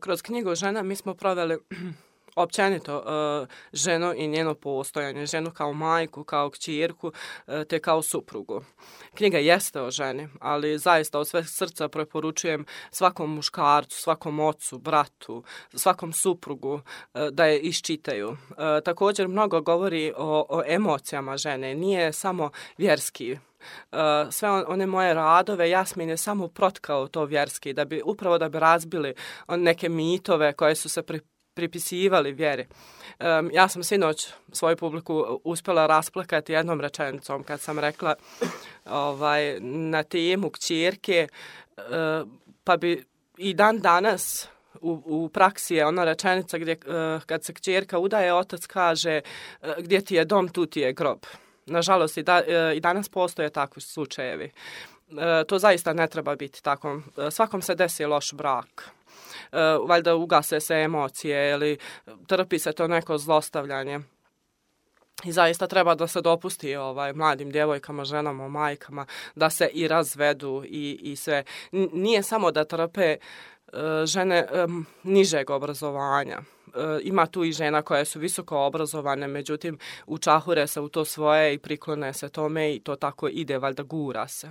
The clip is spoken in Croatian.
Kroz knjigu Žena mi smo proveli općenito ženu i njeno postojanje, ženu kao majku, kao kćerku, te kao suprugu. Knjiga jeste o ženi, ali zaista od sve srca preporučujem svakom muškarcu, svakom ocu, bratu, svakom suprugu da je iščitaju. Također mnogo govori o emocijama žene, nije samo vjerski. Sve one moje radove Jasmin je samo protkao to vjerski, da bi razbili neke mitove koje su se pripisivali vjeri. Ja sam sinoć svoju publiku uspjela rasplakati jednom rečenicom kad sam rekla na temu kćerke, pa bi i dan danas u praksi je ona rečenica gdje kad se kćerka udaje, otac kaže gdje ti je dom, tu ti je grob. Nažalost, i danas postoje takvi slučajevi. To zaista ne treba biti tako. Svakom se desi loš brak. Valjda ugase se emocije ili trpi se to neko zlostavljanje. I zaista treba da se dopusti mladim djevojkama, ženama, majkama da se i razvedu i sve. Nije samo da trpe žene nižeg obrazovanja. Ima tu i žena koje su visoko obrazovane, međutim učahure se u to svoje i priklone se tome i to tako ide, valjda gura se.